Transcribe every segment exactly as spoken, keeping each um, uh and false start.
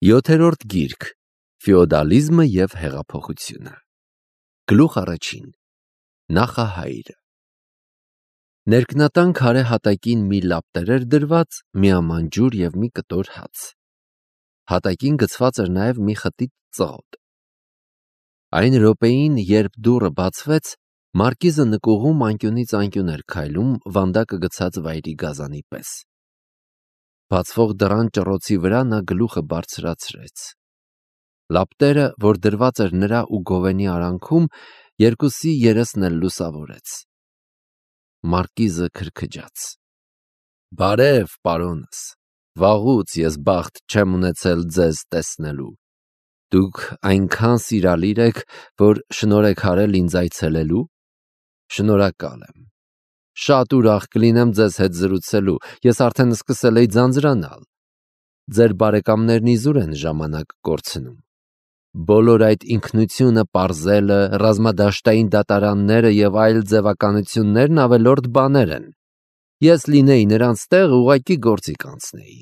Յոթերորդ գիրք. Ֆեոդալիզմը և հեղափոխությունը։ Գլուխ առաջին. Նախահայրը։ Ներքնատան քարե հատակին մի լապտեր էր դրված, մի ամանջուր և մի կտոր հաց։ Հատակին գցված էր նաև մի խտիտ ծղոտ։ Այն րոպեին, երբ դուռը բացվեց, մարկիզը նկուղում անկյունից անկյուն էր քայլում, վանդակը գցած վայրի գազանի պես։ Բացվող դռան ճռոցի վրա նա գլուխը բարձրացրեց։ Լապտերը, որ դրված էր նրա ու Գովենի արանքում, երկուսի երեսն էլ լուսավորեց։ Մարկիզը քրքջաց. «Բարև, պարոնս, վաղուց ես բախտ չեմ ունեցել ձեզ տեսնելու։ Դուք այնքան սիրալիր եք, որ շնորհ եք արել ինձ այցելելու։ Շնորհակալ եմ։ Շատ ուրախ կլինեմ ձեզ հետ զրուցելու, ես արդեն սկսել էի ձանձրանալ։ Ձեր բարեկամներն իզուր են ժամանակ կորցնում։ Բոլոր այդ ինքնությունը պարզելը, ռազմադաշտային դատարանները և այլ ձևականություններն ավելորդ բաներ են։ Ես լինեի նրանց տեղը, ուղղակի գործի կանցնեի։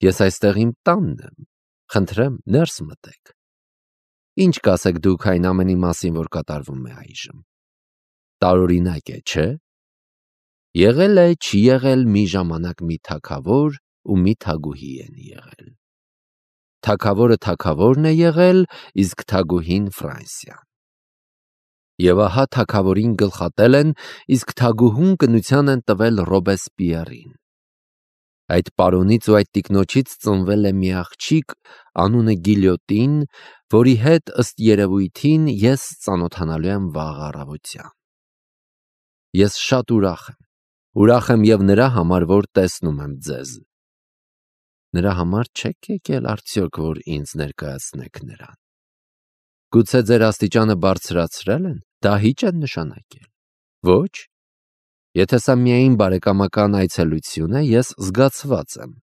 Ես այստեղ իմ տանն եմ։ Խնդրեմ, ներս մտեք։ Ինչ կասեք դուք այն ամենի մասին, որ կատարվում է այժմ։ Տարօրինակ է, չէ՞։ Եղել է, չի եղել, մի ժամանակ մի թագավոր ու մի թագուհի են եղել։ Թագավորը թագավորն է եղել, իսկ թագուհին Ֆրանսիան։ Եվ ահա թագավորին գլխատել են, իսկ թագուհուն կնության են տվել Ռոբեսպիերին։ Այդ պարոնից ու այդ տիկնոջից ծնվել է մի աղջիկ, անունը Գիլյոտին, որի հետ ըստ երևույթին ես ծանոթանալու եմ վաղ առավոտյան։ Ես շատ ուրախ եմ։ Ուրախ եմ և նրա համար, որ տեսնում եմ ձեզ։ Նրա համար չեք եկել արդյոք, որ ինձ ներկայացնեք նրան։ Գուցե ձեր աստիճանը բարձրացրել են, դահիճ են նշանակել։ Ոչ։ Եթե սա միայն բարեկամական այցելություն է, ես զգացված եմ։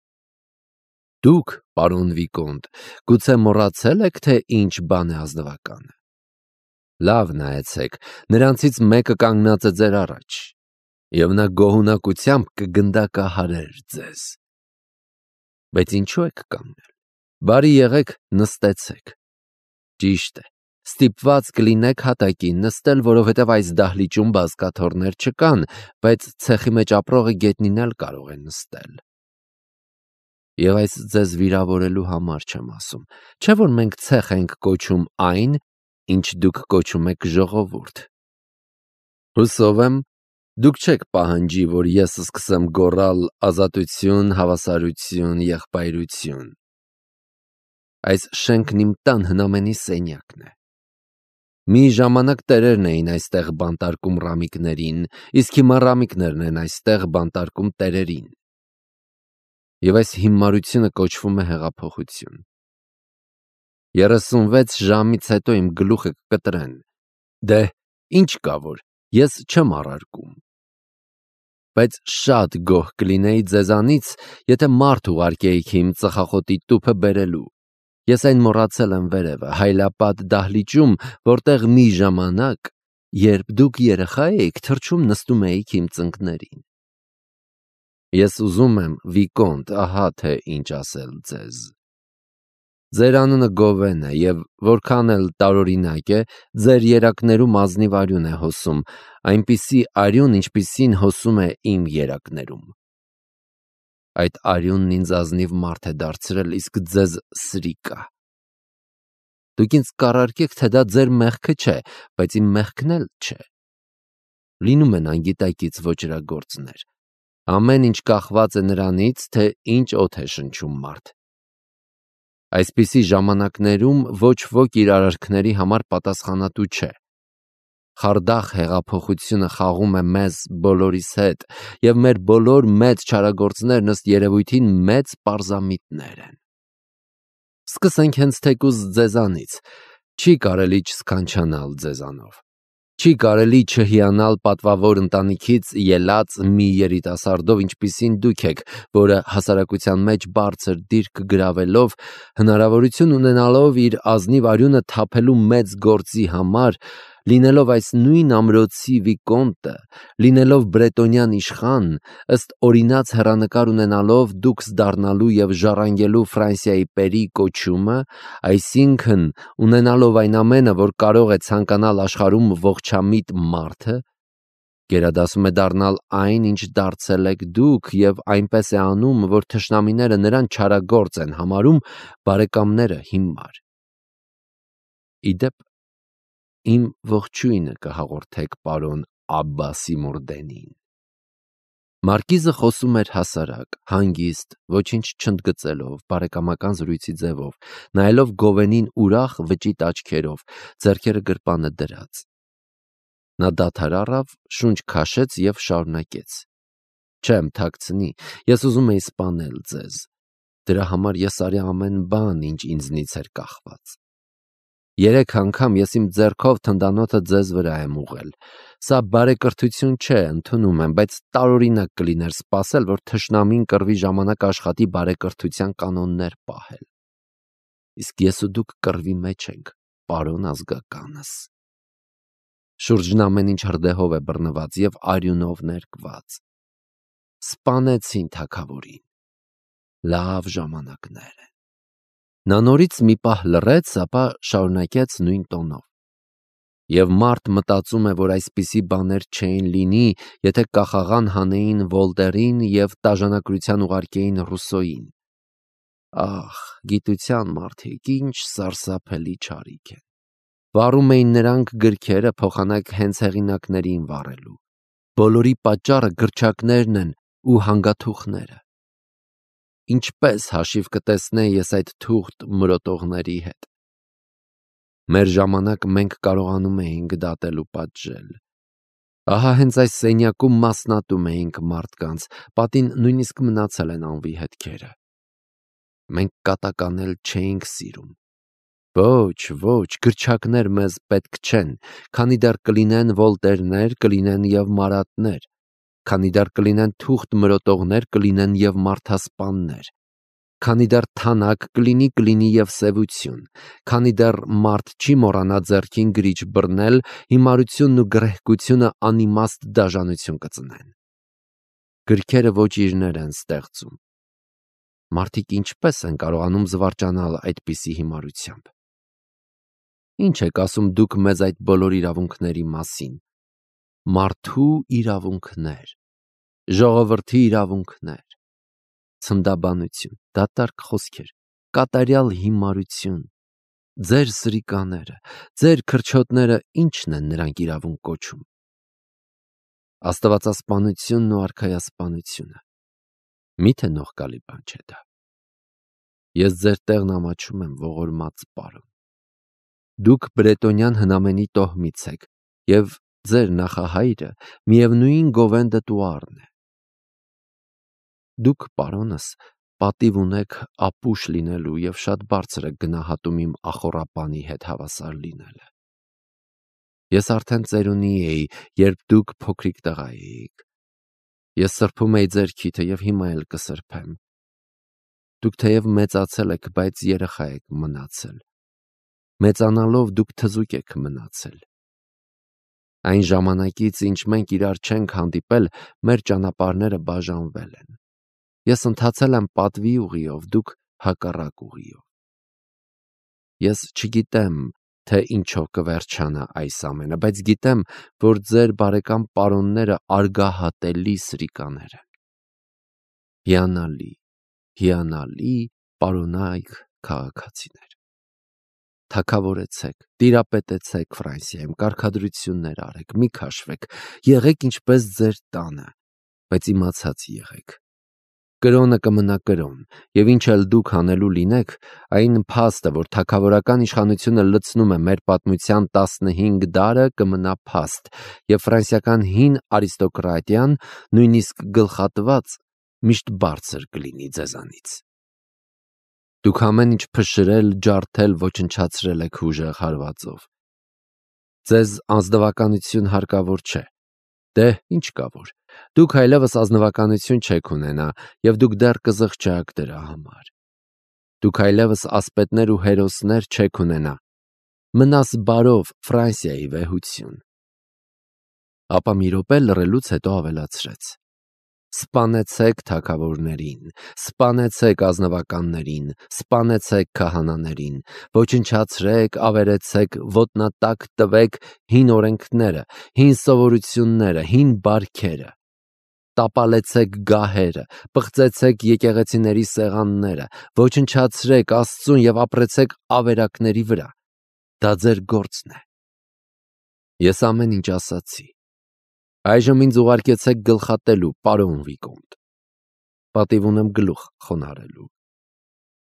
Դուք, պարոն Վիկոնտ, գուցե մոռացել եք, թե ինչ բան է ազնվականը։ Լավ նայեցեք, նրանցից մեկը կանգնած է ձեր առաջ, և նա գոհունակությամբ կգնդակահարեր ձեզ։ Բայց ինչու եք կանգնել։ Բարի եղեք, նստեցեք։ Ճիշտ է, ստիպված կլինեք հատակին նստել, որովհետև այս դահլիճում բազկաթոռներ չկան, բայց ցեխի մեջ ապրողը գետնին էլ կարող է նստել։ Եվ այս ձեզ վիրավորելու համար չեմ ասում, չէ՞ որ մենք ցեխ ենք կոչում այն, ինչ դուք կոչում եք ժողովուրդ։ Հուսով եմ, դուք չեք պահանջի, որ ես սկսեմ գոռալ ազատություն, հավասարություն, եղբայրություն։ Այս շենքն իմ տան հնամենի սենյակն է։ Մի ժամանակ տերերն էին այստեղ բանտարկում ռամիկներին, իսկ հիմա ռամիկներն են այստեղ բանտարկում տերերին։ Եվ այս հիմարությունը կոչվում է հեղափոխություն։ Երեսունվեց ժամից հետո իմ գլուխը կկտրեն։ Դե, ինչ կա որ, ես չեմ առարկում։ Բայց շատ գոհ կլինեի ձեզանից, եթե մարդ ուղարկեիք իմ ծխախոտի տուփը բերելու։ Ես այն մոռացել եմ վերևը, հայլապատ դահլիճում, որտեղ մի ժամանակ, երբ դուք երեխա էիք, թռչում նստում էիք իմ ծնկներին։ Ես ուզում եմ, Վիկոնտ, ահա թե ինչ ասել ձեզ։ Ձեր անունը Գովեն է, և որքան էլ տարօրինակ է, ձեր երակներում ազնիվ արյուն է հոսում, այնպիսի արյուն, ինչպիսին հոսում է իմ երակներում։ Այդ արյունն ինձ ազնիվ մարդ է դարձրել, իսկ ձեզ սրիկա։ Դուք ինձ կառարկեք, թե դա ձեր մեղքը չէ, բայց իմ մեղքն էլ չէ։ Լինում են անգիտակից ոճրագործներ։ Ամեն ինչ կախված է նրանից, թե ինչ օդ է շնչում մարդ։ Այսպիսի ժամանակներում ոչ ոք իր արարքների համար պատասխանատու չէ։ Խարդախ հեղափոխությունը խաղում է մեզ բոլորիս հետ, և մեր բոլոր մեծ չարագործներն ըստ երևույթին մեծ պարզամիտներ են։ Սկսենք հենց թեկուզ ձեզանից։ Չի կարելի չսքանչանալ ձեզանով։ Չի կարելի չհիանալ պատվավոր ընտանիքից ելած մի երիտասարդով, ինչպիսին դուք եք, որը հասարակության մեջ բարձր դիրք գրավելով, հնարավորություն ունենալով իր ազնիվ արյունը թափելու մեծ գործի համար, լինելով այս նույն ամրոցի վիկոնտը, լինելով բրետոնյան իշխան, ըստ օրինաց հեռանկար ունենալով դուքս դառնալու և ժառանգելու Ֆրանսիայի պերի կոչումը, այսինքն ունենալով այն ամենը, որ կարող է ցանկանալ աշխարհում ողջամիտ մարդը, գերադասում է դառնալ այն, ինչ դարձել եք դուք, և այնպես է անում, որ թշնամիները նրան չարագործ են համարում, բարեկամները հիմար։ Իդեպ, իմ ողջույնը կհաղորդեք պարոն Աբբասի Մուրդենին։ Մարկիզը խոսում էր հասարակ, հանգիստ, ոչինչ չընդգծելով, բարեկամական զրույցի ձևով, նայելով Գովենին ուրախ վճիտ աչքերով, ձեռքերը գրպանը դրած։ Նա դադար առավ, շունչ քաշեց և շարունակեց. «Չեմ թաքցնի, ես ուզում էի սպանել ձեզ։ Դրա համար ես արի ամեն բան, ինչ ինձնից էր կախված։ Երեք անգամ ես իմ ձեռքով թնդանոթը ձեզ վրա եմ ուղղել։ Սա բարեկրթություն չէ, ընդունում եմ, բայց տարօրինակ կլիներ սպասել, որ թշնամին կռվի ժամանակ աշխատի բարեկրթության կանոններ պահել։ Իսկ ես ու դուք կռվի մեջ ենք, պարոն ազգականս։ Շուրջն ամեն ինչ հրդեհով է բռնված և արյունով ներկված։ Սպանեցին թագավորին։ Լավ ժամանակներ են»։ Նա նորից մի պահ լռեց, ապա շարունակեց նույն տոնով. «Եվ մարդ մտածում է, որ այսպիսի բաներ չէին լինի, եթե կախաղան հանեին Վոլտերին և տաժանակրության ուղարկեին Ռուսոյին։ Ախ, գիտության մարդիկ, ինչ սարսափելի չարիք են։ Վառում էին նրանք գրքերը, փոխանակ հենց հեղինակներին վառելու։ Բոլորի պատճառը գրչակներն են ու հանգաթուղները։ Ինչպես հաշիվ կտեսնեի ես այդ թուղթ մրոտողների հետ։ Մեր ժամանակ մենք կարողանում էինք դատել ու պատժել։ Ահա հենց այս սենյակում մասնատում էինք մարդկանց, պատին նույնիսկ մնացել են անվի հետքերը։ Մենք կատականել չէինք սիրում։ Ոչ, ոչ, գրչակներ մեզ պետք չեն, քանի դեռ կլինեն Վոլտերներ, կլինեն և Մարատներ, քանի դեռ կլինեն թուղթ մրոտողներ, կլինեն և մարդասպաններ, քանի դեռ թանաք կլինի, կլինի և սևություն, քանի դեռ մարդ չի մոռանա ձեռքին գրիչ բռնել, հիմարությունն ու գռեհկությունը անիմաստ դաժանություն կծնեն։ Գրքերը ոճիրներ են ստեղծում։ Մարդիկ ինչպես են կարողանում զվարճանալ այդպիսի հիմարությամբ։ Ինչ եք ասում դուք մեզ այդ բոլոր իրավունքների մասին։ Մարդու իրավունքներ, ժողովրդի իրավունքներ, ցնդաբանություն, դատարկ խոսքեր, կատարյալ հիմարություն, ձեր սրիկաները, ձեր քրչոտները ինչն են նրանք իրավունք կոչում։ Աստվածասպանությունն ու արքայասպանությունը։ Միթե նողկալի բան չէ դա։ Ես ձեր տեղն ամաչում եմ, ողորմած պարոն։ Դուք բրետոնյան հնամենի տոհմից եք, և ձեր նախահայրը միևնույն Գովեն դը Տուառն է։ Դուք, պարոնս, պատիվ ունեք ապուշ լինելու և շատ բարձր եք գնահատում իմ ախոռապանի հետ հավասար լինելը։ Ես արդեն ծերունի էի, երբ դուք փոքրիկ տղա էիք։ Ես սրբում էի ձեր քիթը և հիմա էլ կսրբեմ։ Դուք թեև մեծացել եք, բայց երեխա եք մնացել։ Մեծանալով դուք թզուկ եք մնացել։ Այն ժամանակից, ինչ մենք իրար չենք հանդիպել, մեր ճանապարհները բաժանվել են։ Ես ընթացել եմ պատվի ուղիով, դուք հակառակ ուղիով։ Ես չգիտեմ, թե ինչով կվերջանա այս ամենը, բայց գիտեմ, որ ձեր բարեկամ պարոնները արգահատելի սրիկաներ են։ Հիանալի, հիանալի պարոնայք քաղաքացիներ։ Թագավորեցեք, տիրապետեցեք Ֆրանսիայում, կարգադրություններ արեք, մի քաշվեք, եղեք ինչպես ձեր տանը, բայց իմացած եղեք։ Կրոնը կմնա կրոն, և ինչ էլ դուք անելու լինեք, այն փաստը, որ թագավորական իշխանությունը լցնում է մեր պատմության տասնհինգ դարը, կմնա փաստ, և ֆրանսիական հին արիստոկրատիան, նույնիսկ գլխատված, միշտ բարձր կլինի ձեզանից։ Դուք ամեն ինչ փշրել, ջարդել, ոչնչացրել եք ուժեղ հարվածով։ Ձեզ ազնվականություն հարկավոր չէ։ Դե, ինչ կա որ։ Դուք այլևս ազնվականություն չեք ունենա, և դուք դեռ կզղջաք դրա համար։ Դուք այլևս ասպետներ ու հերոսներ չեք ունենա։ մնաս բարով Ֆրանսիայի վեհություն։ Ապա մի րոպե լռելուց հետո ավելացրեց. Սպանեցեք թագավորներին, սպանեցեք ազնվականներին, սպանեցեք քահանաներին, ոչնչացրեք, ավերեցեք, ոտնատակ տվեք հին օրենքները, հին սովորությունները, հին բարքերը, տապալեցեք գահերը, պղծեցեք եկեղեցիների սեղանները, ոչնչացրեք Աստծուն եւ ապրեցեք ավերակների վրա։ Դա ձեր գործն է։ Ես ամեն ինչ ասացի։ Այժմ ինձ ուղարկեցեք գլխատելու, պարոն Վիկոնտ։ Պատիվ ունեմ գլուխ խոնարհելու։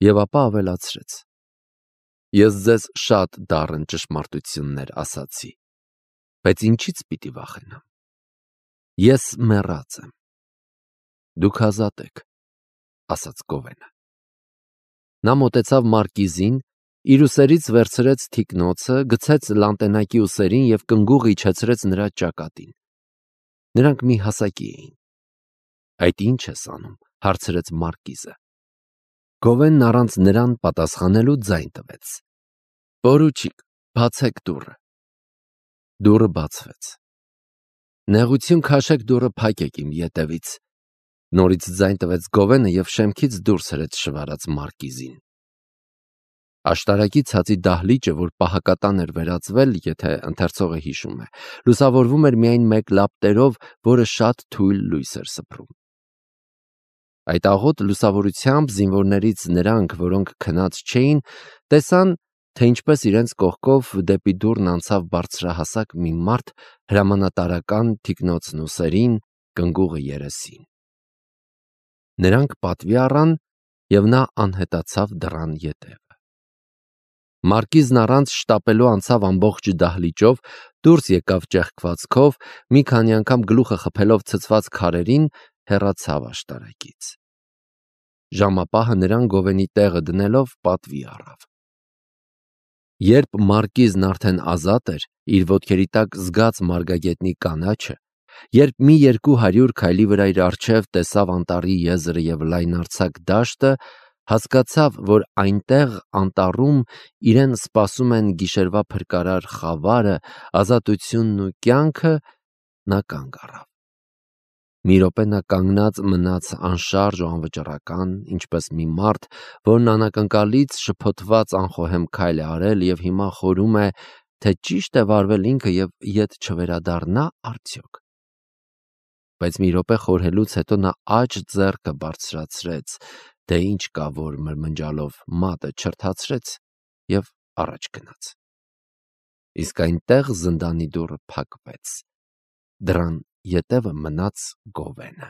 Եվ ապա ավելացրեց. Ես ձեզ շատ դառն ճշմարտություններ ասացի, բայց ինչից պիտի վախենամ։ Ես մեռած եմ։ Դուք ազատ եք, ասաց Գովենը։ Նա մոտեցավ մարկիզին, իր ուսերից վերցրեց թիկնոցը, գցեց լանտենակի ուսերին եւ կնգուղ իջեցրեց նրա ճակատին։ Նրանք մի հասակի էին։ Այդ ինչ ես անում, հարցրեց մարկիզը։ Գովենն առանց նրան պատասխանելու ձայն տվեց. Պորուչիկ, բացեք դուռը։ Դուռը բացվեց։ Նեղություն քաշեք, դուռը փակեք իմ ետևից։ Նորից ձայն տվեց Գովենը եւ շեմքից դուրս հրեց շվարած մարկիզին։ Աշտարակի ցածի դահլիճը, որ պահակատան էր վերածվել, եթե ընթերցողը հիշում է, լուսավորվում էր միայն մեկ լապտերով, որը շատ թույլ լույս էր սփռում։ Այդ աղոտ լուսավորությամբ զինվորներից նրանք, որոնք քնած չէին, տեսան, թե ինչպես իրենց կողքով դեպի դուռն անցավ բարձրահասակ մի մարդ հրամանատարական թիկնոցն ուսերին, կնգուղը երեսին։ Նրանք պատվի առան եւ նա անհետացավ դռան ետևը։ Մարկիզն առանց շտապելու անցավ ամբողջ դահլիճով, դուրս եկավ ճեղքվածքով, մի քանի անգամ գլուխը խփելով ցցված քարերին, հեռացավ աշտարակից։ Ժամապահը նրան Գովենի տեղը դնելով պատվի առավ։ Երբ մարկիզն արդեն ազատ էր, իր ոտքերի տակ զգաց մարգագետնի կանաչը, երբ մի երկու հարյուր քայլի վրա իր առջև տեսավ անտառի եզրը եւ լայնարձակ դաշտը, հասկացավ, որ այնտեղ անտառում իրեն սպասում են գիշերվա փրկարար խավարը, ազատությունն ու կյանքը, նա կանգ առավ։ Մի րոպե նա կանգնած մնաց անշարժ ու անվճռական, ինչպես մի մարդ, որն անակնկալից շփոթված անխոհեմ քայլ է արել եւ հիմա խորում է, թե ճիշտ է վարվել ինքը եւ ետ չվերադառնա արդյոք։ Բայց մի րոպե խորհելուց հետո նա աջ ձեռքը բարձրացրեց, թե ինչ կա, որ մրմնջալով մատը չրթացրեց եւ առաջ գնաց։ Իսկ այնտեղ զնդանի դուռը փակվեց։ Դռան ետևը մնաց Գովենը։